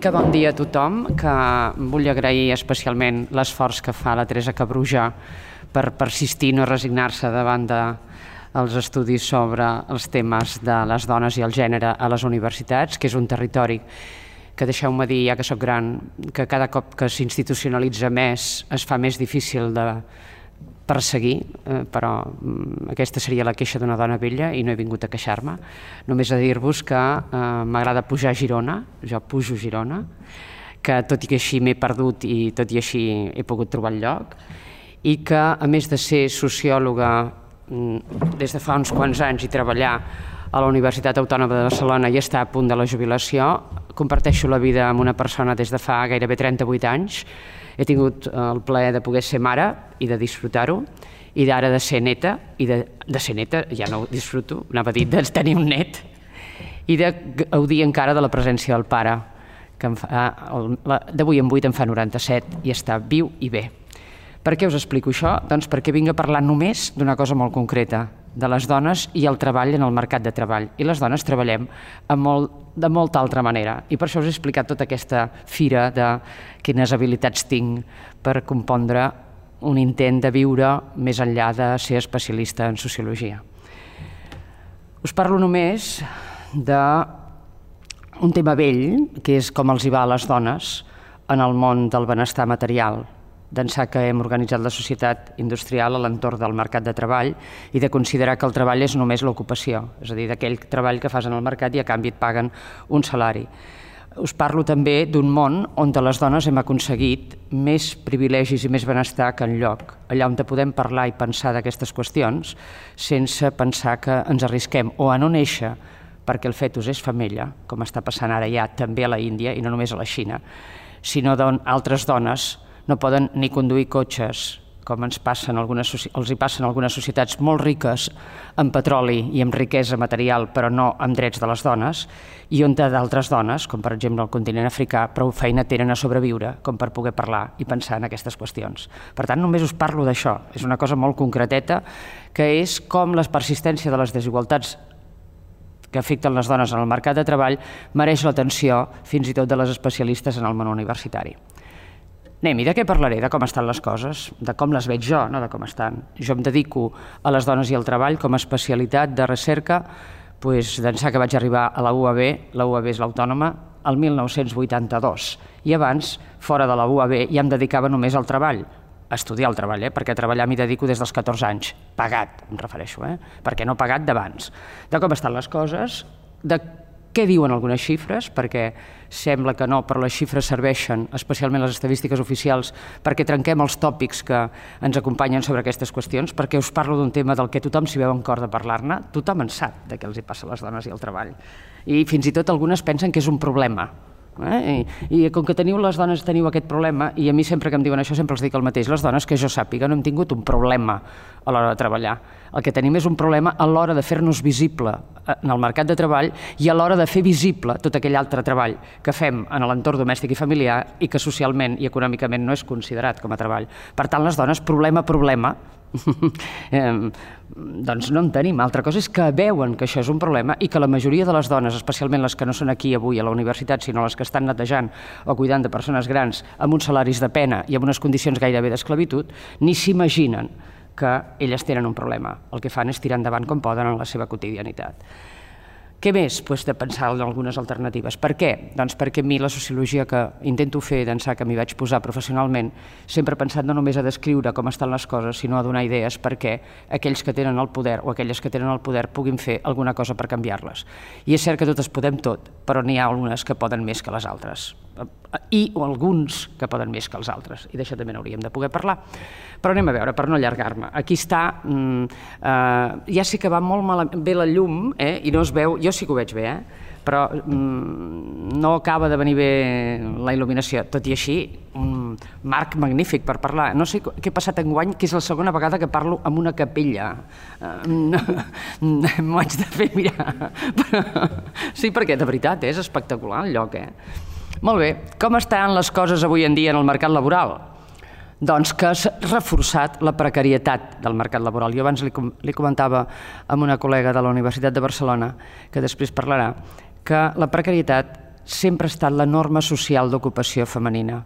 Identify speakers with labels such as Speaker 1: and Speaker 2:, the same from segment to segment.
Speaker 1: que bon dia a tothom, que vull agrair especialment l'esforç que fa la Teresa Cabruja per persistir i no resignar-se davant dels estudis sobre els temes de les dones i el gènere a les universitats, que és un territori que, deixeu-me dir, ja que sóc gran, que cada cop que s'institucionalitza més es fa més difícil de perseguir, però aquesta seria la queixa d'una dona vella i no he vingut a queixar-me. Només a dir-vos que m'agrada pujar a Girona, jo pujo a Girona, que tot i que així m'he perdut i tot i així he pogut trobar el lloc, i que a més de ser sociòloga des de fa uns quants anys i treballar a la Universitat Autònoma de Barcelona i estar a punt de la jubilació, comparteixo la vida amb una persona des de fa gairebé 38 anys. He tingut el plaer de poder ser mare i de disfrutar-ho, i d'ara de ser neta, i de ser neta, ja no ho disfruto, anava a dir de tenir un net, i de gaudir encara de la presència del pare, que d'avui en 8 en fa 97 i està viu i bé. Per què us explico això? Doncs perquè vinc a parlar només d'una cosa molt concreta, de les dones i el treball en el mercat de treball. I les dones treballem de molta altra manera. I per això us he explicat tota aquesta fira de quines habilitats tinc per compondre un intent de viure més enllà de ser especialista en sociologia. Us parlo només d'un tema vell, que és com els hi va a les dones en el món del benestar material, d'ençà que hem organitzat la societat industrial a l'entorn del mercat de treball i de considerar que el treball és només l'ocupació, és a dir, d'aquell treball que fas en el mercat i a canvi et paguen un salari. Us parlo també d'un món on les dones hem aconseguit més privilegis i més benestar que enlloc, allà on podem parlar i pensar d'aquestes qüestions sense pensar que ens arrisquem o a no néixer perquè el fetus és femella, com està passant ara ja també a la Índia i no només a la Xina, sinó d'on altres dones no poden ni conduir cotxes, com els hi passen algunes societats molt riques en petroli i en riquesa material, però no amb drets de les dones, i on d'altres dones, com per exemple el continent africà, prou feina tenen a sobreviure com per poder parlar i pensar en aquestes qüestions. Per tant, només us parlo d'això. És una cosa molt concreteta, que és com la persistència de les desigualtats que afecten les dones en el mercat de treball mereix l'atenció fins i tot de les especialistes en el món universitari. Anem, i de què parlaré? De com estan les coses, de com les veig jo, no de com estan. Jo em dedico a les dones i al treball com a especialitat de recerca d'ençà que vaig arribar a la UAB, la UAB és l'Autònoma, el 1982. I abans, fora de la UAB, ja em dedicava només al treball, a estudiar el treball, perquè a treballar m'hi dedico des dels 14 anys. Pagat, em refereixo, perquè no pagat d'abans. De com estan les coses, de què diuen algunes xifres, perquè sembla que no, però les xifres serveixen, especialment les estadístiques oficials, perquè trenquem els tòpics que ens acompanyen sobre aquestes qüestions, perquè us parlo d'un tema del que tothom s'hi veu en cor de parlar-ne, tothom en sap de què els hi passa a les dones i al treball. I fins i tot algunes pensen que és un problema. I com que les dones teniu aquest problema, i a mi sempre que em diuen això sempre els dic el mateix, les dones que jo sàpiga no hem tingut un problema a l'hora de treballar. El que tenim és un problema a l'hora de fer-nos visible en el mercat de treball i a l'hora de fer visible tot aquell altre treball que fem en l'entorn domèstic i familiar i que socialment i econòmicament no és considerat com a treball. Per tant, les dones, problema, doncs no en tenim. Altra cosa és que veuen que això és un problema i que la majoria de les dones, especialment les que no són aquí avui a la universitat, sinó les que estan netejant o cuidant de persones grans amb uns salaris de pena i amb unes condicions gairebé d'esclavitud, ni s'imaginen que elles tenen un problema. El que fan és tirar endavant com poden en la seva quotidianitat. Què més? De pensar en algunes alternatives. Per què? Doncs perquè a mi la sociologia que intento fer d'ençà que m'hi vaig posar professionalment sempre he pensat no només a descriure com estan les coses, sinó a donar idees perquè aquells que tenen el poder o aquelles que tenen el poder puguin fer alguna cosa per canviar-les. I és cert que totes podem tot, però n'hi ha algunes que poden més que les altres. I alguns que poden més que els altres, i d'això també n'hauríem de poder parlar. Però anem a veure, per no allargar-me. Aquí està, ja sé que va molt bé la llum, i no es veu, jo sí que ho veig bé, però no acaba de venir bé la il·luminació. Tot i així, un marc magnífic per parlar. No sé què ha passat enguany, que és la segona vegada que parlo amb una capella. M'ho haig de fer mirar. Sí, perquè de veritat és espectacular el lloc, Molt bé, com estan les coses avui en dia en el mercat laboral? Doncs que s'ha reforçat la precarietat del mercat laboral. Jo abans li comentava amb una col·lega de la Universitat de Barcelona, que després parlarà, que la precarietat sempre ha estat la norma social d'ocupació femenina.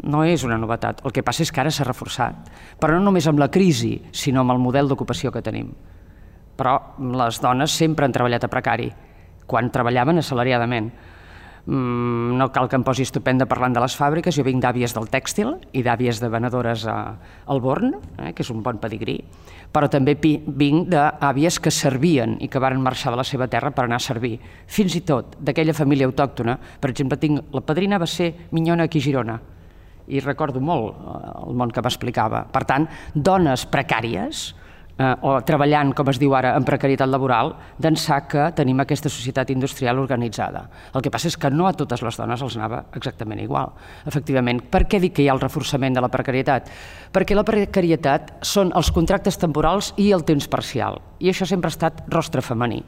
Speaker 1: No és una novetat. El que passa és que ara s'ha reforçat. Però no només amb la crisi, sinó amb el model d'ocupació que tenim. Però les dones sempre han treballat a precari, quan treballaven assalariadament. No cal que em posi estupenda parlant de les fàbriques. Jo vinc d'àvies del tèxtil i d'àvies de venedores al Born, que és un bon pedigrí, però també vinc d'àvies que servien i que varen marxar de la seva terra per anar a servir. Fins i tot d'aquella família autòctona. Per exemple, la padrina va ser minyona aquí a Girona i recordo molt el món que m'explicava. Per tant, dones precàries o treballant, com es diu ara, en precarietat laboral, d'ençà que tenim aquesta societat industrial organitzada. El que passa és que no a totes les dones els anava exactament igual. Efectivament, per què dic que hi ha el reforçament de la precarietat? Perquè la precarietat són els contractes temporals i el temps parcial, i això sempre ha estat rostre femení.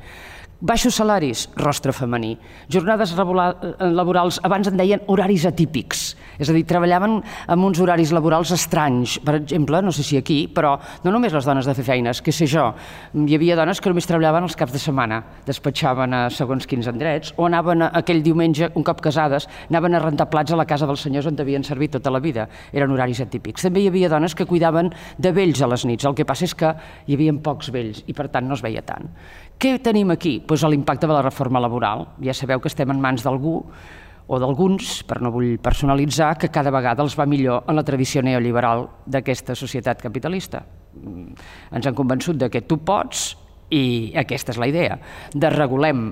Speaker 1: Baixos salaris, rostre femení. Jornades laborals, abans en deien horaris atípics, és a dir, treballaven amb uns horaris laborals estranys. Per exemple, no sé si aquí, però no només les dones de fer feines, què sé jo, hi havia dones que només treballaven els caps de setmana, despatxaven a segons quins endrets, o anaven aquell diumenge, un cop casades, anaven a rentar plats a la casa dels senyors on havien servit tota la vida. Eren horaris atípics. També hi havia dones que cuidaven de vells a les nits. El que passa és que hi havia pocs vells i per tant no es veia tant. Què tenim aquí? Doncs l'impacte de la reforma laboral. Ja sabeu que estem en mans d'algú o d'alguns, però no vull personalitzar, que cada vegada els va millor en la tradició neoliberal d'aquesta societat capitalista. Ens han convençut que tu pots i aquesta és la idea. Desregulem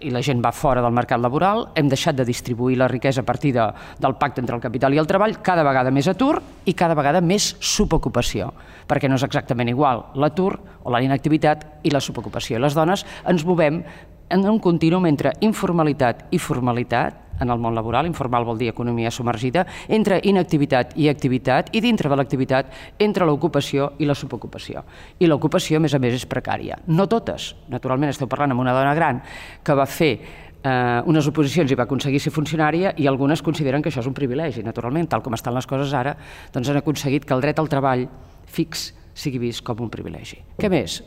Speaker 1: i la gent va fora del mercat laboral, hem deixat de distribuir la riquesa a partir del pacte entre el capital i el treball, cada vegada més atur i cada vegada més subocupació, perquè no és exactament igual l'atur o la inactivitat i la subocupació. Les dones ens movem en un contínuum entre informalitat i formalitat en el món laboral. Informal vol dir economia submergida, entre inactivitat i activitat, i dintre de l'activitat entre l'ocupació i la subocupació. I l'ocupació, a més, és precària. No totes. Naturalment, esteu parlant amb una dona gran que va fer unes oposicions i va aconseguir ser funcionària, i algunes consideren que això és un privilegi. Naturalment, tal com estan les coses ara, doncs han aconseguit que el dret al treball fix sigui vist com un privilegi. Què més?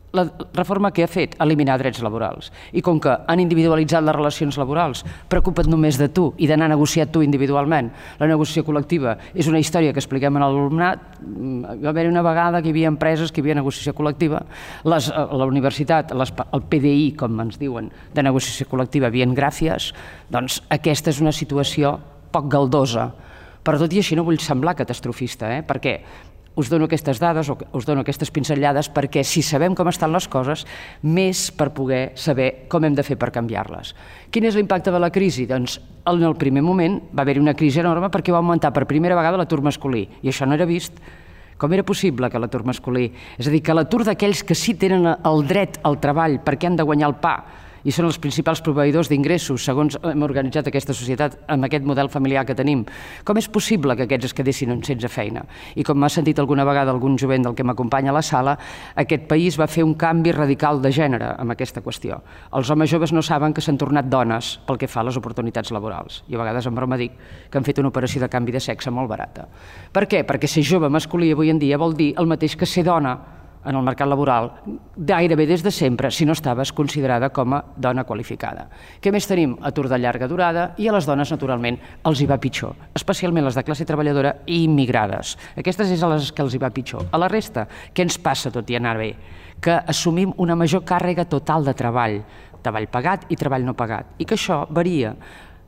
Speaker 1: La reforma que ha fet? Eliminar drets laborals. I com que han individualitzat les relacions laborals, preocupa't només de tu i d'anar a negociar tu individualment. La negociació col·lectiva és una història que expliquem a l'alumnat. Va haver una vegada que hi havia empreses que hi havia negociació col·lectiva. La universitat, el PDI, com ens diuen, de negociació col·lectiva, havien gràcies. Doncs aquesta és una situació poc galdosa. Però tot i així no vull semblar catastrofista, perquè us dono aquestes dades o us dono aquestes pinzellades perquè si sabem com estan les coses, més per poder saber com hem de fer per canviar-les. Quin és l'impacte de la crisi? Doncs en el primer moment va haver-hi una crisi enorme perquè va augmentar per primera vegada l'atur masculí, i això no era vist. Com era possible que l'atur masculí? És a dir, que l'atur d'aquells que sí tenen el dret al treball perquè han de guanyar el pa i són els principals proveïdors d'ingressos, segons hem organitzat aquesta societat amb aquest model familiar que tenim. Com és possible que aquests es quedessin sense feina? I com m'ha sentit alguna vegada algun jovent del que m'acompanya a la sala, aquest país va fer un canvi radical de gènere amb aquesta qüestió. Els homes joves no saben que s'han tornat dones pel que fa a les oportunitats laborals. I a vegades en broma dic que han fet una operació de canvi de sexe molt barata. Per què? Perquè ser jove masculí avui en dia vol dir el mateix que ser dona en el mercat laboral, gairebé des de sempre, si no estaves considerada com a dona qualificada. Què més tenim? Atur de llarga durada, i a les dones, naturalment, els hi va pitjor, especialment les de classe treballadora i immigrades. Aquestes és a les que els hi va pitjor. A la resta, què ens passa tot i anar bé? Que assumim una major càrrega total de treball pagat i treball no pagat, i que això varia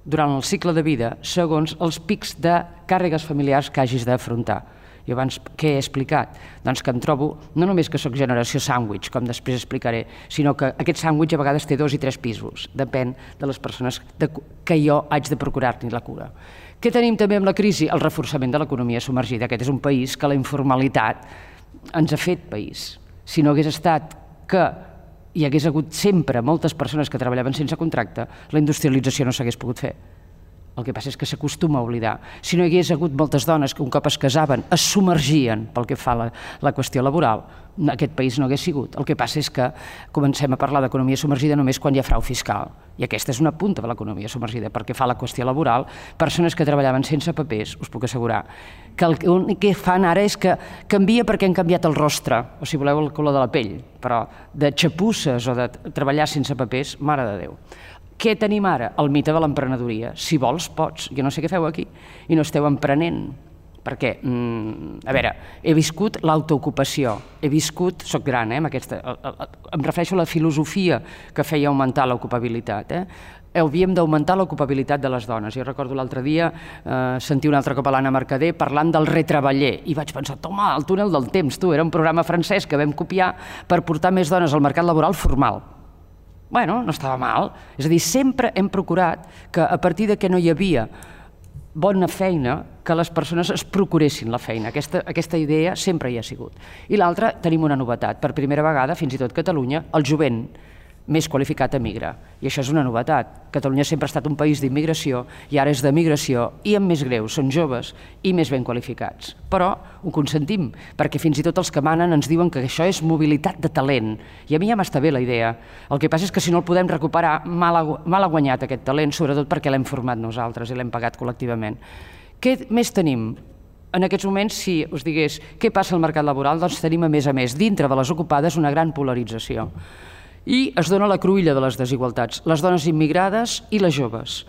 Speaker 1: durant el cicle de vida segons els pics de càrregues familiars que hagis d'afrontar. I abans què he explicat? Doncs que em trobo, no només que soc generació sàndwich, com després explicaré, sinó que aquest sàndwich a vegades té 2 i 3 pisos, depèn de les persones que jo haig de procurar-ne la cura. Què tenim també amb la crisi? El reforçament de l'economia submergida. Aquest és un país que la informalitat ens ha fet país. Si no hagués estat que hi hagués hagut sempre moltes persones que treballaven sense contracte, la industrialització no s'hagués pogut fer. El que passa és que s'acostuma a oblidar. Si no hi hagués hagut moltes dones que un cop es casaven es submergien pel que fa a la qüestió laboral, aquest país no hagués sigut. El que passa és que comencem a parlar d'economia submergida només quan hi ha frau fiscal. I aquesta és una punta de l'economia submergida. Pel que fa a la qüestió laboral, persones que treballaven sense papers, us puc assegurar, que el que fan ara és que canvia perquè han canviat el rostre, o si voleu el color de la pell, però de xapusses o de treballar sense papers, mare de Déu. Què tenim ara? El mite de l'emprenedoria. Si vols, pots. Jo no sé què feu aquí i no esteu emprenent. Perquè, a veure, he viscut l'autoocupació, soc gran, em refereixo a la filosofia que feia augmentar l'ocupabilitat. Havíem d'augmentar l'ocupabilitat de les dones. Jo recordo l'altre dia sentir un altre cop a l'Anna Mercader parlant del retreballer i vaig pensar, toma, el túnel del temps, tu, era un programa francès que vam copiar per portar més dones al mercat laboral formal. Bueno, no estava mal. És a dir, sempre hem procurat que a partir de que no hi havia bona feina, que les persones es procuressin la feina. Aquesta idea sempre hi ha sigut. I l'altra, tenim una novetat. Per primera vegada, fins i tot Catalunya, el jovent més qualificat emigra. I això és una novetat. Catalunya sempre ha estat un país d'immigració i ara és de migració i amb més greus, són joves i més ben qualificats. Però ho consentim, perquè fins i tot els que manen ens diuen que això és mobilitat de talent. I a mi ja m'està bé la idea. El que passa és que si no el podem recuperar, mal ha guanyat aquest talent, sobretot perquè l'hem format nosaltres i l'hem pagat col·lectivament. Què més tenim? En aquests moments, si us digués què passa al mercat laboral, doncs tenim a més, dintre de les ocupades, una gran polarització. I es dona la cruïlla de les desigualtats, les dones immigrades i les joves.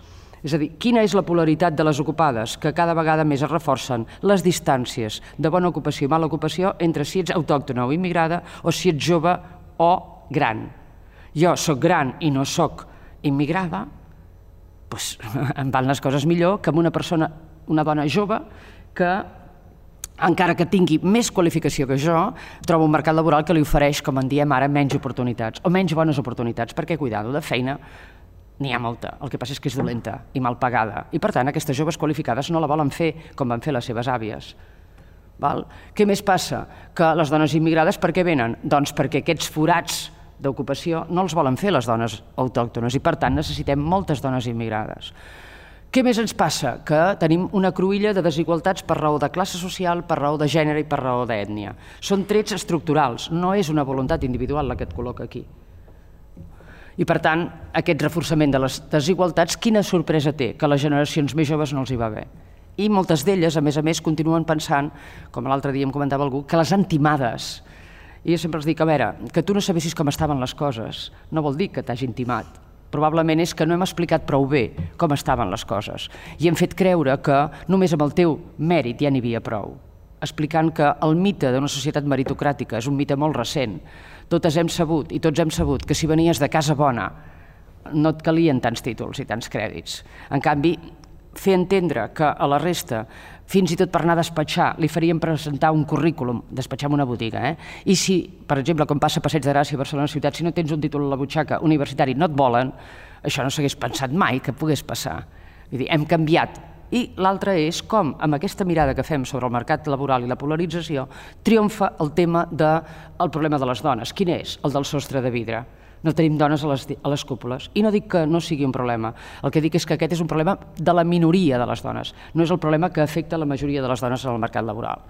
Speaker 1: És a dir, quina és la polaritat de les ocupades? Que cada vegada més es reforcen les distàncies de bona ocupació i mala ocupació entre si ets autòctona o immigrada o si ets jove o gran. Jo soc gran i no soc immigrada, doncs em van les coses millor que amb una dona jove que encara que tingui més qualificació que jo, trobo un mercat laboral que li ofereix, com en diem ara, menys oportunitats, o menys bones oportunitats, perquè, cuidado, de feina n'hi ha molta. El que passa és que és dolenta i mal pagada. I, per tant, aquestes joves qualificades no la volen fer com van fer les seves àvies. Què més passa? Que les dones immigrades per què venen? Doncs perquè aquests forats d'ocupació no els volen fer les dones autòctones i, per tant, necessitem moltes dones immigrades. Què més ens passa? Que tenim una cruïlla de desigualtats per raó de classe social, per raó de gènere i per raó d'ètnia. Són trets estructurals, no és una voluntat individual la que et col·loca aquí. I, per tant, aquest reforçament de les desigualtats, quina sorpresa té? Que a les generacions més joves no els hi va bé. I moltes d'elles, a més, continuen pensant, com l'altre dia em comentava algú, que les han timades. I jo sempre els dic, a veure, que tu no sabessis com estaven les coses, no vol dir que t'hagin timat. Probablement és que no hem explicat prou bé com estaven les coses i hem fet creure que només amb el teu mèrit ja n'hi havia prou, explicant que el mite d'una societat meritocràtica és un mite molt recent. Totes hem sabut i tots hem sabut que si venies de casa bona no et calien tants títols i tants crèdits. En canvi, fer entendre que a la resta, fins i tot per anar a despatxar, li faríem presentar un currículum, despatxar en una botiga, i si, per exemple, com passa a Passeig de Gràcia a Barcelona ciutat, si no tens un títol a la butxaca universitari no et volen, això no s'hagués pensat mai que pogués passar. Vull dir, hem canviat. I l'altre és com, amb aquesta mirada que fem sobre el mercat laboral i la polarització, triomfa el tema del problema de les dones. Quin és? El del sostre de vidre. No tenim dones a les cúpules. I no dic que no sigui un problema. El que dic és que aquest és un problema de la minoria de les dones. No és el problema que afecta la majoria de les dones en el mercat laboral.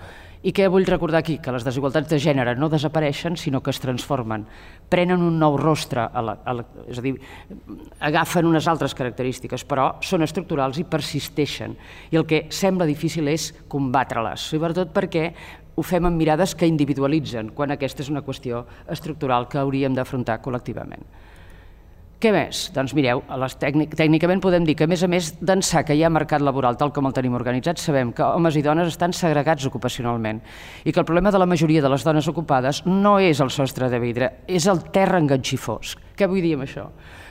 Speaker 1: I què vull recordar aquí? Que les desigualtats de gènere no desapareixen, sinó que es transformen. Prenen un nou rostre, és a dir, agafen unes altres característiques, però són estructurals i persisteixen. I el que sembla difícil és combatre-les, sobretot perquè ho fem amb mirades que individualitzen, quan aquesta és una qüestió estructural que hauríem d'afrontar col·lectivament. Què més? Doncs mireu, tècnicament podem dir que a més d'ençà que hi ha mercat laboral tal com el tenim organitzat, sabem que homes i dones estan segregats ocupacionalment i que el problema de la majoria de les dones ocupades no és el sostre de vidre, és el terra enganxifós. Què vull dir amb això?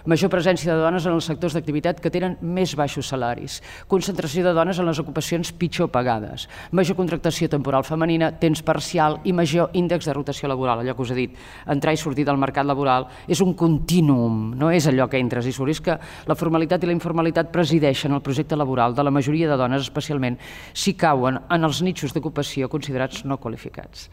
Speaker 1: Major presència de dones en els sectors d'activitat que tenen més baixos salaris, concentració de dones en les ocupacions pitjor pagades, major contractació temporal femenina, temps parcial i major índex de rotació laboral. Allò que us he dit, entrar i sortir del mercat laboral és un contínuum, no és allò que entres i surts, és que la formalitat i la informalitat presideixen el projecte laboral de la majoria de dones, especialment si cauen en els nichos d'ocupació considerats no qualificats.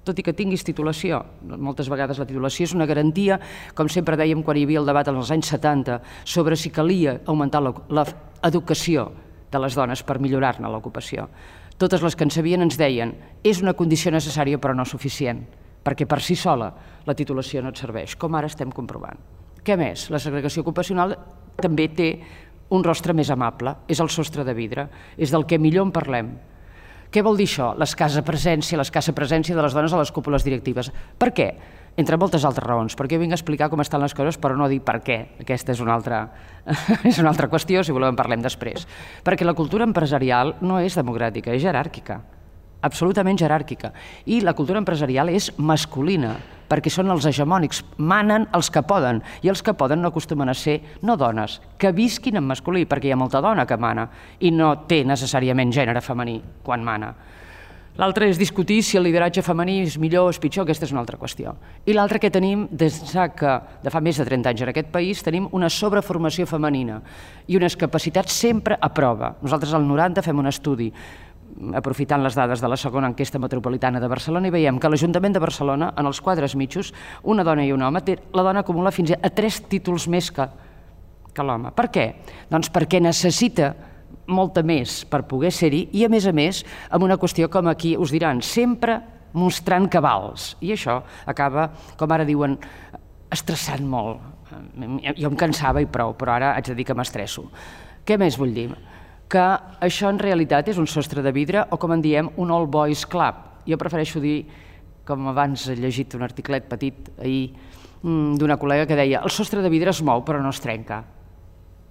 Speaker 1: Tot i que tinguis titulació, moltes vegades la titulació és una garantia, com sempre dèiem quan hi havia el debat als anys 70 sobre si calia augmentar l'educació de les dones per millorar-ne l'ocupació. Totes les que en sabien ens deien és una condició necessària però no suficient, perquè per si sola la titulació no et serveix, com ara estem comprovant. Què més? La segregació ocupacional també té un rostre més amable, és el sostre de vidre, és del que millor en parlem. Què vol dir això? L'escassa presència de les dones a les cúpules directives. Per què? entre moltes altres raons, perquè jo vinc a explicar com estan les coses, però no dir per què. Aquesta és una altra qüestió, si voleu en parlem després. Perquè la cultura empresarial no és democràtica, és jeràrquica, absolutament jeràrquica. I la cultura empresarial és masculina, perquè són els hegemònics, manen els que poden, i els que poden no acostumen a ser no dones, que visquin en masculí, perquè hi ha molta dona que mana, i no té necessàriament gènere femení quan mana. L'altre és discutir si el lideratge femení és millor o és pitjor, aquesta és una altra qüestió. I l'altre que tenim, des que de fa més de 30 anys en aquest país, tenim una sobreformació femenina i unes capacitats sempre a prova. Nosaltres al 90 fem un estudi, aprofitant les dades de la segona enquesta metropolitana de Barcelona, i veiem que l'Ajuntament de Barcelona, en els quadres mitjos, una dona i un home, la dona acumula fins a 3 títols més que l'home. Per què? Doncs perquè necessita molta més per poder ser-hi i, a més, amb una qüestió com aquí us diran, sempre mostrant cabals. I això acaba, com ara diuen, estressant molt. Jo em cansava i prou, però ara haig de dir que m'estresso. Què més vull dir? Que això en realitat és un sostre de vidre o, com en diem, un all boys club. Jo prefereixo dir, com abans he llegit un articlet petit ahir d'una col·lega que deia el sostre de vidre es mou però no es trenca.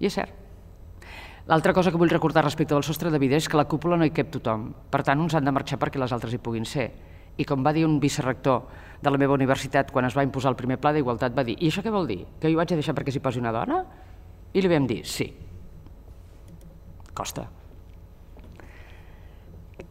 Speaker 1: I és cert. L'altra cosa que vull recordar respecte del sostre de vidre és que a la cúpula no hi cap tothom. Per tant, uns han de marxar perquè les altres hi puguin ser. I com va dir un vicerector de la meva universitat quan es va imposar el primer pla d'igualtat, va dir: i això què vol dir? Que jo ho haig de deixar perquè s'hi posi una dona? I li vam dir: sí. Costa.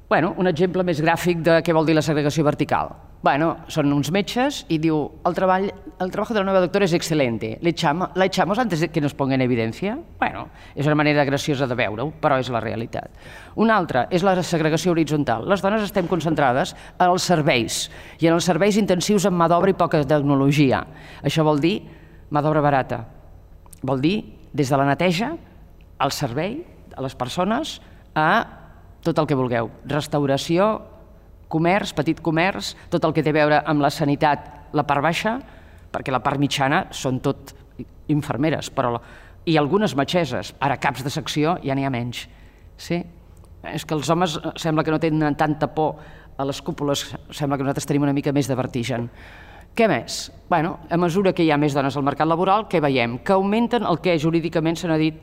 Speaker 1: Bueno, un exemple més gràfic de què vol dir la segregació vertical. Bueno, són uns metges i diu el trabajo de la nueva doctora es excelente. ¿La echamos antes de que nos ponga en evidencia? Bueno, és una manera graciosa de veure-ho, però és la realitat. Una altra és la segregació horitzontal. Les dones estem concentrades en els serveis i en els serveis intensius amb mà d'obra i poca tecnologia. Això vol dir mà d'obra barata. Vol dir des de la neteja al servei, a les persones, a tot el que vulgueu. Restauració, comerç, petit comerç, tot el que té a veure amb la sanitat, la part baixa, perquè la part mitjana són tot infermeres, i algunes metgesses, ara caps de secció ja n'hi ha menys. Sí? És que els homes sembla que no tenen tanta por a les cúpules, sembla que nosaltres tenim una mica més de vertigen. Què més? Bueno, a mesura que hi ha més dones al mercat laboral, què veiem? Que augmenten el que jurídicament se n'ha dit,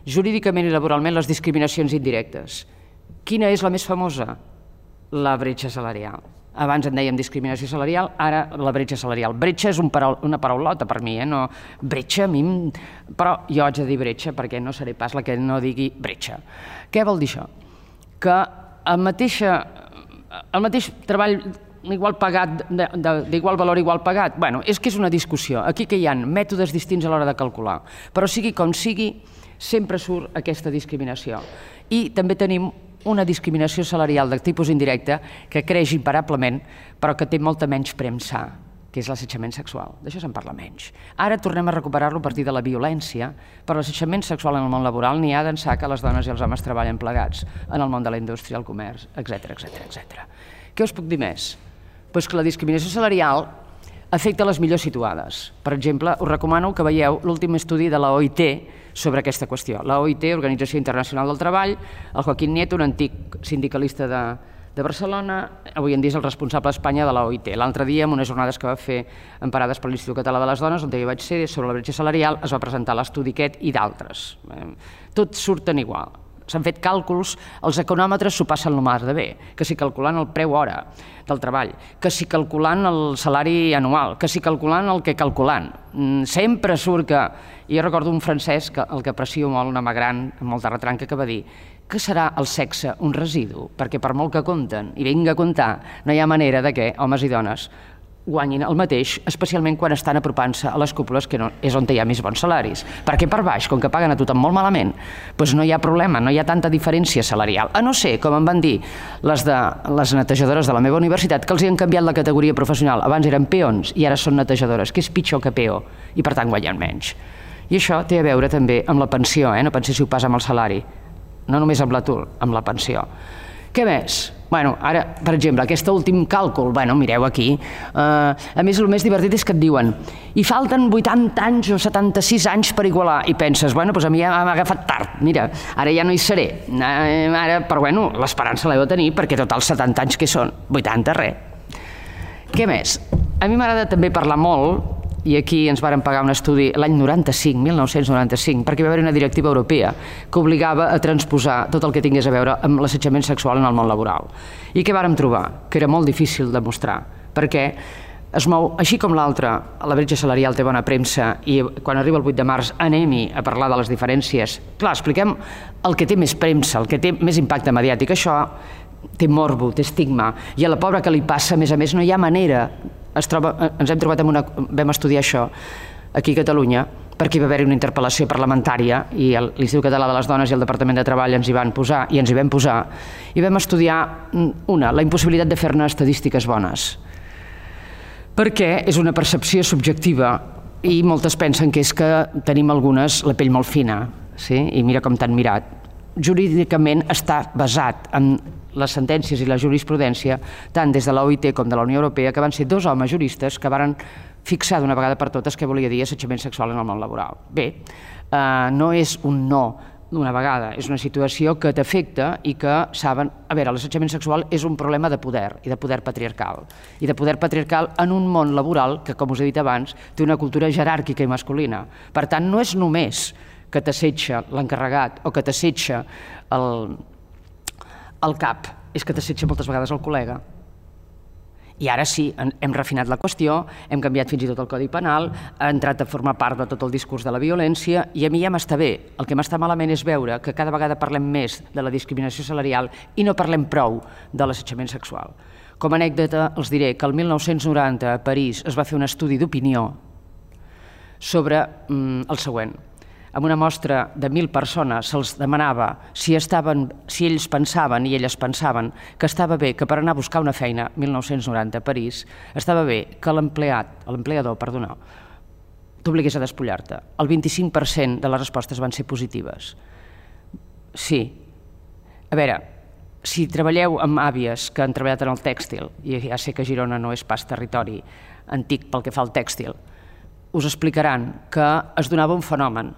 Speaker 1: jurídicament i laboralment, les discriminacions indirectes. Quina és la més famosa? La bretxa salarial. Abans en dèiem discriminació salarial, ara la bretxa salarial. Bretxa és una paraulota per mi, no? Bretxa, a mi... Però jo haig de dir bretxa perquè no seré pas la que no digui bretxa. Què vol dir això? Que el mateix treball igual pagat, d'igual valor, igual pagat, bueno, és que és una discussió. Aquí que hi ha mètodes distints a l'hora de calcular, però sigui com sigui, sempre surt aquesta discriminació. I també tenim una discriminació salarial de tipus indirecte que creix imparablement, però que té molta menys premsa, que és l'assetjament sexual. D'això se'n parla menys. Ara tornem a recuperar-lo a partir de la violència, però l'assetjament sexual en el món laboral n'hi ha d'ençà que les dones i els homes treballen plegats en el món de la indústria, el comerç, etc. Què us puc dir més? Doncs que la discriminació salarial afecta les millors situades. Per exemple, us recomano que veieu l'últim estudi de la OIT sobre aquesta qüestió. La OIT, Organització Internacional del Treball, el Joaquín Nieto, un antic sindicalista de Barcelona, avui en dia és el responsable a Espanya de la OIT. L'altre dia, en unes jornades que va fer emparades per l'Institut Català de les Dones, on jo vaig ser, sobre la bretxa salarial, es va presentar l'estudi aquest i d'altres. Tots surten igual. S'han fet càlculs, els econòmetres s'ho passen el mar de bé, que si calculant el preu hora del treball, que si calculant el salari anual, que si calculant el que calculant. Sempre surt que... Jo recordo un francès, el que aprecio molt, un home gran, amb molta retranca, que va dir que serà el sexe un residu, perquè per molt que compten i vinga a comptar, no hi ha manera de que homes i dones guanyin el mateix, especialment quan estan apropant-se a les cúpules, que és on hi ha més bons salaris. Perquè per baix, com que paguen a tothom molt malament, doncs no hi ha problema, no hi ha tanta diferència salarial. A no ser, com em van dir les netejadores de la meva universitat, que els han canviat la categoria professional. Abans eren peons i ara són netejadores, que és pitjor que peó, i per tant guanyen menys. I això té a veure també amb la pensió, no penseu si ho passa amb el salari, no només amb l'atur, amb la pensió. Què més? Bueno, ara, per exemple, aquest últim càlcul, bueno, mireu aquí, a més el més divertit és que et diuen i falten 80 anys o 76 anys per igualar, i penses, bueno, doncs a mi ja m'ha agafat tard, mira, ara ja no hi seré, però bueno, l'esperança l'heu de tenir perquè tots els 70 anys que són, 80 res. Què més? A mi m'agrada també parlar molt, i aquí ens varen pagar un estudi l'any 1995, perquè va haver una directiva europea que obligava a transposar tot el que tingués a veure amb l'assetjament sexual en el món laboral. I què vàrem trobar? Que era molt difícil de mostrar, perquè es mou, així com l'altre, la bretxa salarial té bona premsa i quan arriba el 8 de març anem-hi a parlar de les diferències. Clar, expliquem el que té més premsa, el que té més impacte mediàtic. Això té morbo, té estigma, i a la pobra que li passa, a més, no hi ha manera. Ens hem trobat vam estudiar això aquí a Catalunya, perquè hi va haver una interpel·lació parlamentària i l'Institut Català de les Dones i el Departament de Treball ens hi van posar, i ens hi vam posar, i vam estudiar la impossibilitat de fer-ne estadístiques bones, perquè és una percepció subjectiva i moltes pensen que és que tenim algunes la pell molt fina, i mira com t'han mirat. Jurídicament està basat en les sentències i la jurisprudència, tant des de la OIT com de la Unió Europea, que van ser dos homes juristes que varen fixar d'una vegada per totes què volia dir assetjament sexual en el món laboral. Bé, no és un no d'una vegada, és una situació que t'afecta i que saben... A veure, l'assetjament sexual és un problema de poder i de poder patriarcal. I de poder patriarcal en un món laboral que, com us he dit abans, té una cultura jeràrquica i masculina. Per tant, no és només que t'assetja l'encarregat o que t'assetja el cap, és que t'assetja moltes vegades el col·lega. I ara sí, hem refinat la qüestió, hem canviat fins i tot el Codi Penal, ha entrat a formar part de tot el discurs de la violència, i a mi ja m'està bé. El que m'està malament és veure que cada vegada parlem més de la discriminació salarial i no parlem prou de l'assetjament sexual. Com a anècdota, els diré que el 1990 a París es va fer un estudi d'opinió sobre el següent. En una mostra de 1.000 persones se'ls demanava si ells pensaven i elles pensaven que estava bé que per anar a buscar una feina, 1990 a París, estava bé que l'empleador, t'obligués a despullar-te. El 25% de les respostes van ser positives. Sí. A veure, si treballeu amb àvies que han treballat en el tèxtil, i ja sé que Girona no és pas territori antic pel que fa al tèxtil, us explicaran que es donava un fenomen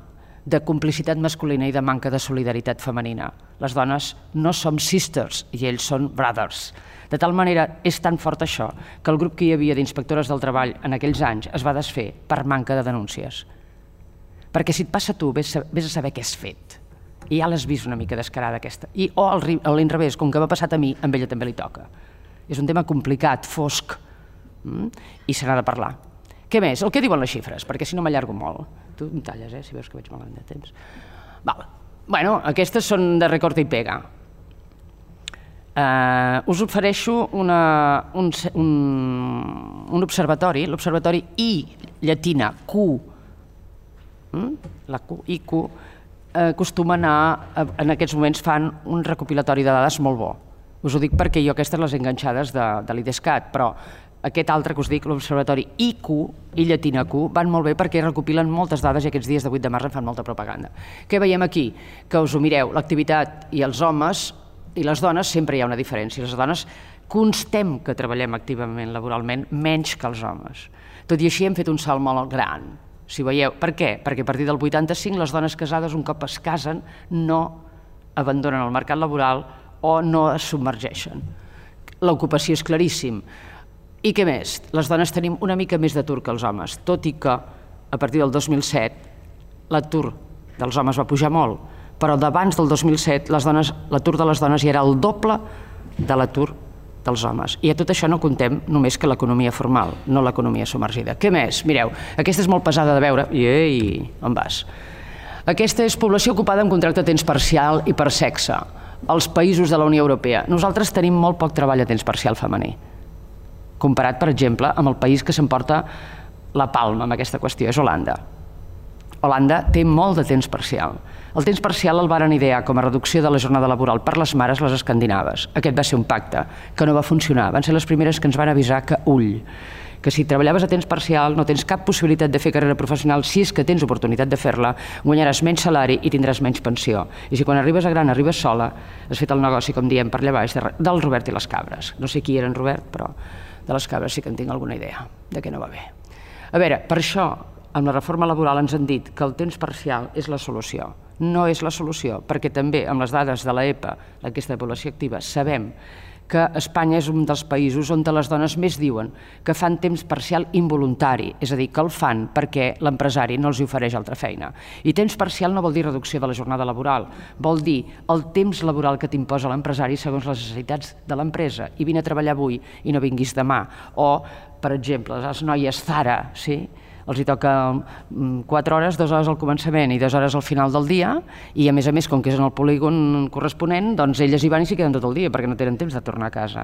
Speaker 1: de complicitat masculina i de manca de solidaritat femenina. Les dones no som sisters i ells són brothers. De tal manera, és tan fort això, que el grup que hi havia d'inspectores del treball en aquells anys es va desfer per manca de denúncies. Perquè si et passa a tu, vés a saber què has fet. I ja l'has vist una mica descarada aquesta. O a l'inrevés, com que m'ha passat a mi, a ella també li toca. És un tema complicat, fosc, i se n'ha de parlar. Què més? El que diuen les xifres, perquè si no m'allargo molt. Tu em talles, si veus que veig malament de temps. Bueno, aquestes són de recorta i pega. Us ofereixo un observatori, l'observatori I llatina Q, la Q, IQ, acostuma a anar, en aquests moments fan un recopilatori de dades molt bo. Us ho dic perquè jo aquestes les he enganxades de l'IDESCAT, però aquest altre que us dic, l'observatori IQ, I llatina Q, van molt bé perquè recopilen moltes dades i aquests dies de 8 de març en fan molta propaganda. Què veiem aquí? Que us ho mireu, l'activitat i els homes i les dones sempre hi ha una diferència. Les dones constem que treballem activament laboralment menys que els homes. Tot i així hem fet un salt molt gran. Si veieu, per què? Perquè a partir del 85 les dones casades un cop es casen no abandonen el mercat laboral o no es submergeixen. L'ocupació és claríssim. I què més? Les dones tenim una mica més d'atur que els homes, tot i que a partir del 2007 l'atur dels homes va pujar molt, però d'abans del 2007 l'atur de les dones ja era el doble de l'atur dels homes. I a tot això no contem només que l'economia formal, no l'economia submergida. Què més? Mireu, aquesta és molt pesada de veure. Ei, on vas? Aquesta és població ocupada amb contracte a temps parcial i per sexe. Els països de la Unió Europea. Nosaltres tenim molt poc treball a temps parcial femení, comparat, per exemple, amb el país que s'emporta la palma amb aquesta qüestió, és Holanda. Holanda té molt de temps parcial. El temps parcial el varen idear com a reducció de la jornada laboral per les mares, les escandinaves. Aquest va ser un pacte que no va funcionar. Van ser les primeres que ens van avisar que que si treballaves a temps parcial no tens cap possibilitat de fer carrera professional, si és que tens oportunitat de fer-la, guanyaràs menys salari i tindràs menys pensió. I si quan arribes a gran arribes sola, has fet el negoci, com diem per allà baix, del Robert i les cabres. No sé qui era en Robert, però de les cabres sí que en tinc alguna idea, de què no va bé. A veure, per això, amb la reforma laboral ens han dit que el temps parcial és la solució. No és la solució, perquè també amb les dades de l'EPA, l'enquesta de població activa, sabem que Espanya és un dels països on les dones més diuen que fan temps parcial involuntari, és a dir, que el fan perquè l'empresari no els ofereix altra feina. I temps parcial no vol dir reducció de la jornada laboral, vol dir el temps laboral que t'imposa l'empresari segons les necessitats de l'empresa. I vine a treballar avui i no vinguis demà. O, per exemple, les noies Zara, sí? Els hi toca 4 hores, 2 hores al començament i 2 hores al final del dia, i a més, com que és en el polígon corresponent, doncs elles hi van i s'hi queden tot el dia perquè no tenen temps de tornar a casa.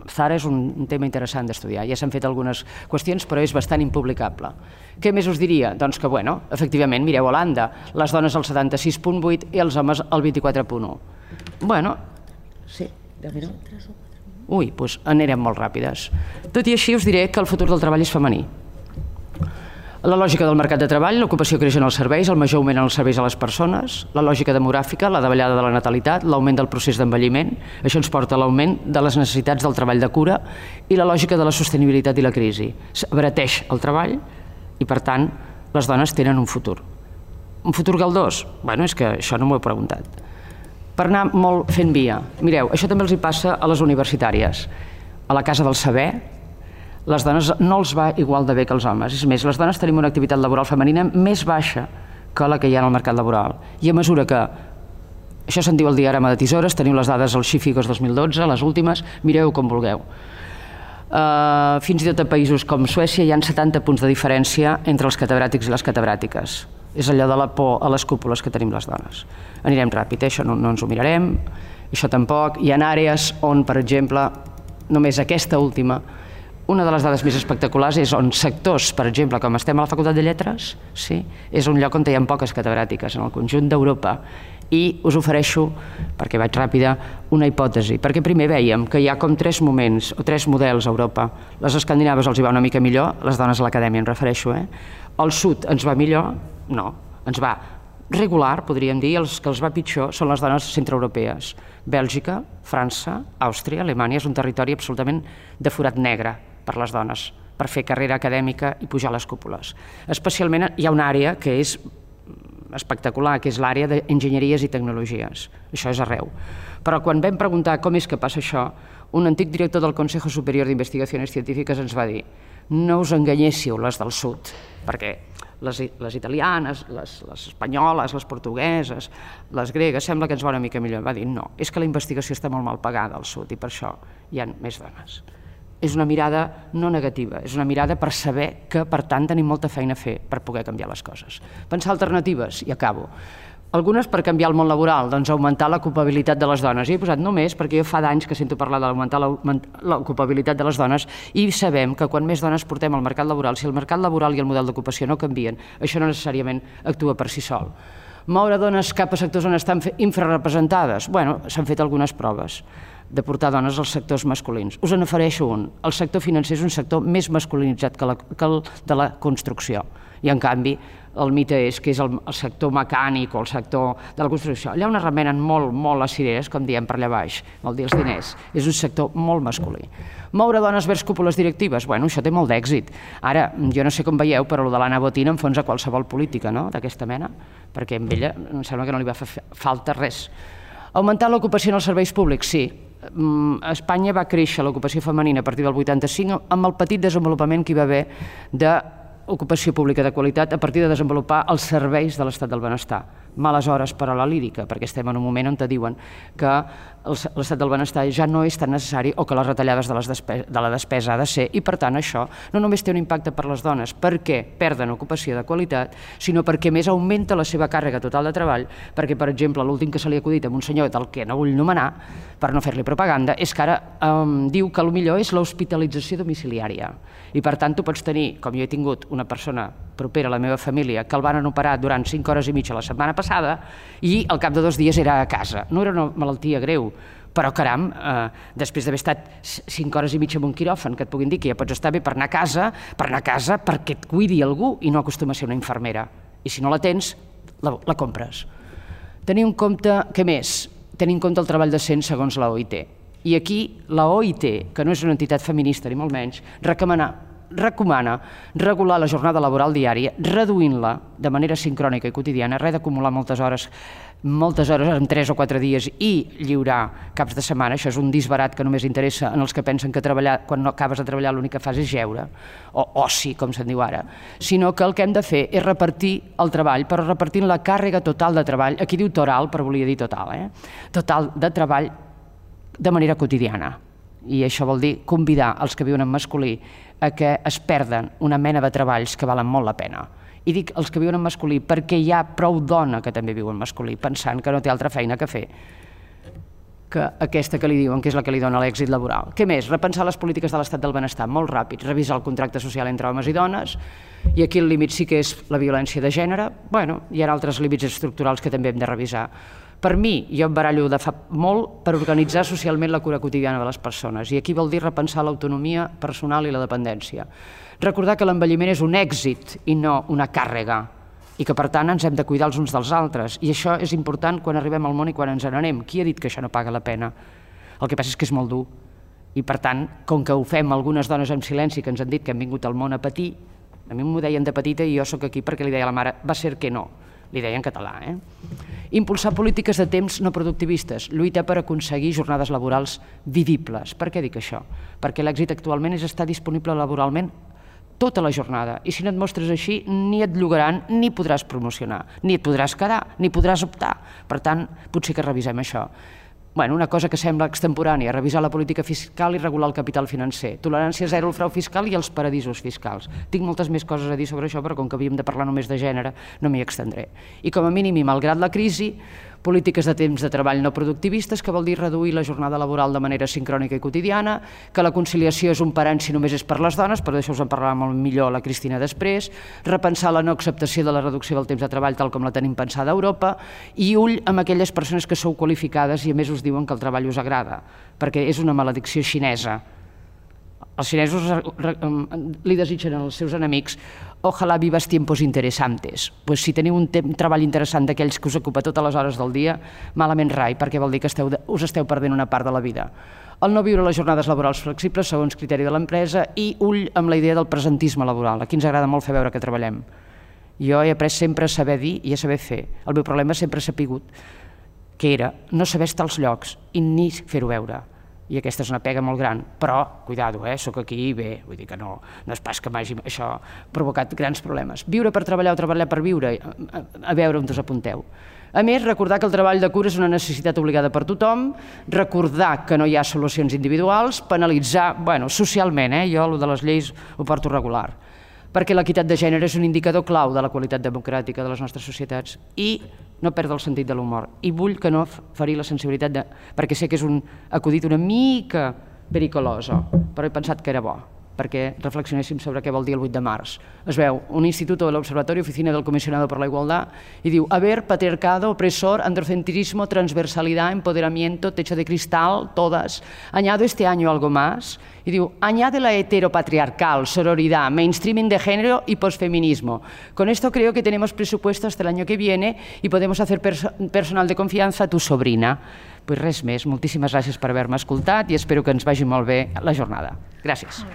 Speaker 1: Zara és un tema interessant d'estudiar. Ja s'han fet algunes qüestions, però és bastant impublicable. Què més us diria? Doncs que, bueno, efectivament, mireu Holanda, les dones el 76,8 i els homes el 24,1. Bueno, sí, 10 minuts. Ui, doncs anirem molt ràpides. Tot i així us diré que el futur del treball és femení. La lògica del mercat de treball, l'ocupació creix en els serveis, el major augment en els serveis a les persones, la lògica demogràfica, la davallada de la natalitat, l'augment del procés d'envelliment, això ens porta a l'augment de les necessitats del treball de cura i la lògica de la sostenibilitat i la crisi. S'abrateix el treball i, per tant, les dones tenen un futur. Un futur galdós? Bé, és que això no m'ho he preguntat. Per anar molt fent via. Mireu, això també els hi passa a les universitàries. A la Casa del Saber, les dones no els va igual de bé que els homes. És més, les dones tenim una activitat laboral femenina més baixa que la que hi ha en el mercat laboral. I a mesura que, això se'n diu el diagrama de tisores, teniu les dades al Xifigos 2012, les últimes, mireu com vulgueu. Fins i tot a països com Suècia hi ha 70 punts de diferència entre els catedràtics i les catedràtiques. És allò de la por a les cúpules que tenim les dones. Anirem ràpid, això no ens ho mirarem, això tampoc. Hi ha àrees on, per exemple, només aquesta última, una de les dades més espectaculars és on sectors, per exemple, com estem a la Facultat de Lletres, sí, és un lloc on hi ha poques catedràtiques, en el conjunt d'Europa. I us ofereixo, perquè vaig ràpida, una hipòtesi. Perquè primer vèiem que hi ha com 3 moments o 3 models a Europa. Les escandinaves els hi va una mica millor, les dones a l'acadèmia em refereixo. El sud ens va millor? No, ens va regular, podríem dir, els que els va pitjor són les dones centreeuropees. Bèlgica, França, Àustria, Alemanya és un territori absolutament de forat negre per les dones, per fer carrera acadèmica i pujar les cúpules. Especialment hi ha una àrea que és espectacular, que és l'àrea d'enginyeries i tecnologies. Això és arreu. Però quan vam preguntar com és que passa això, un antic director del Consejo Superior d'Investigacions Científiques ens va dir: no us enganyéssiu les del sud, perquè les italianes, les espanyoles, les portugueses, les gregues, sembla que ens va una mica millor. Va dir, no, és que la investigació està molt mal pagada al sud i per això hi ha més dones. És una mirada no negativa, és una mirada per saber que, per tant, tenim molta feina a fer per poder canviar les coses. Pensar alternatives, i acabo. Algunes per canviar el món laboral, doncs augmentar l'ocupabilitat de les dones. I he posat només perquè jo fa d'anys que sento parlar d'augmentar l'ocupabilitat de les dones i sabem que quan més dones portem al mercat laboral, si el mercat laboral i el model d'ocupació no canvien, això no necessàriament actua per si sol. Moure dones cap a sectors on estan infrarrepresentades? Bé, s'han fet algunes proves de portar dones als sectors masculins. Us en ofereixo un. El sector financer és un sector més masculinitzat que el de la construcció. I, en canvi, el mite és que és el sector mecànic o el sector de la construcció. Allà on es remenen molt les cireres, com diem per allà baix, vol dir els diners. És un sector molt masculí. Moure dones vers cúpules directives? Bé, això té molt d'èxit. Ara, jo no sé com veieu, però el de l'Anna Botín enfonsa qualsevol política, no?, d'aquesta mena, perquè a ella em sembla que no li va fer falta res. Augmentar l'ocupació en els serveis públics? Sí. A Espanya va créixer l'ocupació femenina a partir del 85 amb el petit desenvolupament que hi va haver d'ocupació pública de qualitat a partir de desenvolupar els serveis de l'estat del benestar. Males hores per a la lírica, perquè estem en un moment on te diuen que l'estat del benestar ja no és tan necessari o que les retallades de la despesa ha de ser, i per tant això no només té un impacte per les dones perquè perden ocupació de qualitat, sinó perquè més augmenta la seva càrrega total de treball, perquè, per exemple, l'últim que se li ha acudit a un senyor del que no vull nomenar, per no fer-li propaganda, és que ara diu que el millor és l'hospitalització domiciliària. I per tant tu pots tenir, com jo he tingut una persona propera a la meva família, que el van operar durant 5 hores i mitja la setmana passada i al cap de 2 dies era a casa. No era una malaltia greu, però caram, després d'haver estat 5 hores i mitja en un quiròfan, que et puguin dir que ja pots estar bé per anar a casa perquè et cuidi algú i no acostuma a ser una infermera. I si no la tens, la compres. Tenir en compte, què més? Tenir en compte el treball decent segons la OIT. I aquí la OIT, que no és una entitat feminista ni molt menys, recomana regular la jornada laboral diària, reduint-la de manera sincrònica i quotidiana, res d'acumular moltes hores moltes hores en 3 o 4 dies i lliurar caps de setmana. Això és un disbarat que només interessa en els que pensen que quan no acabes de treballar l'únic que fas és jeure, o oci, com se'n diu ara, sinó que el que hem de fer és repartir el treball, però repartint la càrrega total de treball, aquí diu toral, però volia dir total, total de treball de manera quotidiana. I això vol dir convidar els que viuen en masculí a que es perden una mena de treballs que valen molt la pena. I dic els que viuen en masculí perquè hi ha prou dona que també viu en masculí, pensant que no té altra feina que fer que aquesta que li diuen que és la que li dona l'èxit laboral. Què més? Repensar les polítiques de l'estat del benestar, molt ràpid, revisar el contracte social entre homes i dones, i aquí el límit sí que és la violència de gènere. Bueno, hi ha altres límits estructurals que també hem de revisar. Per mi, jo em barallo de fa molt per organitzar socialment la cura quotidiana de les persones, i aquí vol dir repensar l'autonomia personal i la dependència. Recordar que l'envelliment és un èxit i no una càrrega, i que per tant ens hem de cuidar els uns dels altres, i això és important quan arribem al món i quan ens n'anem. Qui ha dit que això no paga la pena? El que passa és que és molt dur, i per tant, com que ho fem algunes dones en silenci que ens han dit que hem vingut al món a patir, a mi m'ho deien de petita i jo sóc aquí perquè li deia a la mare, va ser que no, li deia en català. Impulsar polítiques de temps no productivistes, lluitar per aconseguir jornades laborals vivibles. Per què dic això? Perquè l'èxit actualment és estar disponible laboralment tota la jornada, i si no et mostres així ni et llogaran ni podràs promocionar, ni et podràs quedar, ni podràs optar. Per tant, potser que revisem això. Una cosa que sembla extemporània, revisar la política fiscal i regular el capital financer, tolerància zero al frau fiscal i els paradisos fiscals. Tinc moltes més coses a dir sobre això, però com que havíem de parlar només de gènere, no m'hi extendré. I com a mínim, i malgrat la crisi, polítiques de temps de treball no productivistes, que vol dir reduir la jornada laboral de manera sincrònica i quotidiana, que la conciliació és un parany si només és per les dones, però d'això us en parlarà molt millor la Cristina després, repensar la no acceptació de la reducció del temps de treball tal com la tenim pensada a Europa, i ull amb aquelles persones que sou qualificades i a més us diuen que el treball us agrada, perquè és una maledicció xinesa. Els xinesos li desitgen als seus enemics «Ojalá vivas tiempos interesantes». Pues si teniu un treball interessant d'aquells que us ocupa totes les hores del dia, malament rai, perquè vol dir que us esteu perdent una part de la vida. El no viure les jornades laborals flexibles segons criteri de l'empresa i ull amb la idea del presentisme laboral. Aquí ens agrada molt fer veure que treballem. Jo he après sempre a saber dir i a saber fer. El meu problema sempre s'ha sapigut que era no saber estar als llocs i ni fer-ho veure. I aquesta és una pega molt gran, però, cuidado, sóc aquí i bé, vull dir que no és pas que m'hagi això provocat grans problemes. Viure per treballar o treballar per viure, a veure on us apunteu. A més, recordar que el treball de cura és una necessitat obligada per tothom, recordar que no hi ha solucions individuals, penalitzar, socialment, jo el de les lleis ho porto regular, perquè l'equitat de gènere és un indicador clau de la qualitat democràtica de les nostres societats i no perdre el sentit de l'humor. I vull que no ferir la sensibilitat, perquè sé que és un acudit una mica pericoloso, però he pensat que era bo, perquè reflexionéssim sobre què vol dir el 8 de març. Es veu un instituto del Observatorio Oficina del Comisionado por la Igualdad i diu haber, patriarcado, opresor, androcentrismo, transversalidad, empoderamiento, techo de cristal, todas. Añado este año algo más y diu añade la heteropatriarcal, sororidad, mainstreaming de género y posfeminismo. Con esto creo que tenemos presupuesto hasta el año que viene y podemos hacer personal de confianza a tu sobrina. Pues res més, moltíssimes gràcies per haver-me escoltat i espero que ens vagi molt bé la jornada. Gràcies.